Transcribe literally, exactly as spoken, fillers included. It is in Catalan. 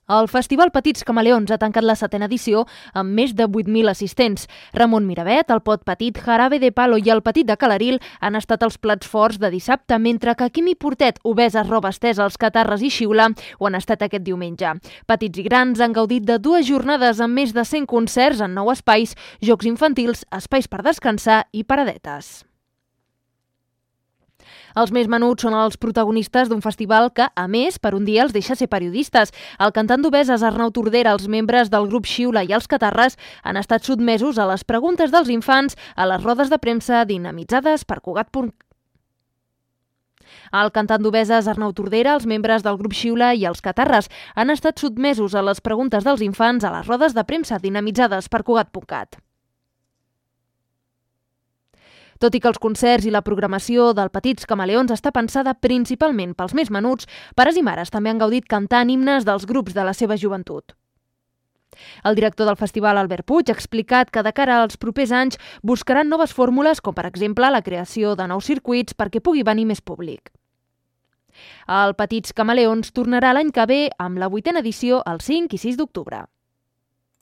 El Festival Petits Camaleons ha tancat la setena edició amb més de vuit mil assistents. Ramon Miravet, el Pot Petit, Jarabe de Palo i el Petit de Calaril han estat els plats forts de dissabte, mentre que Quimi Portet, Obesa, Roba Estesa, Els Catarres i Xiula ho han estat aquest diumenge. Petits i grans han gaudit de dues jornades amb més de cent concerts en nou espais, jocs infantils, espais per descansar i paradetes. Els més menuts són els protagonistes d'un festival que, a més, per un dia els deixa ser periodistes. El cantant d'Obeses, Arnau Tordera, els membres del grup Xiula i els Catarres han estat sotmesos a les preguntes dels infants a les rodes de premsa dinamitzades per Cugat. El cantant d'Obeses, Arnau Tordera, els membres del grup Xiula i els Catarres han estat sotmesos a les preguntes dels infants a les rodes de premsa dinamitzades per Cugat punt cat. Tot i que els concerts i la programació del Petits Camaleons està pensada principalment pels més menuts, pares i mares també han gaudit cantant himnes dels grups de la seva joventut. El director del festival, Albert Puig, ha explicat que de cara als propers anys buscaran noves fórmules, com per exemple la creació de nous circuits perquè pugui venir més públic. El Petits Camaleons tornarà l'any que ve amb la vuitena edició el cinc i sis d'octubre.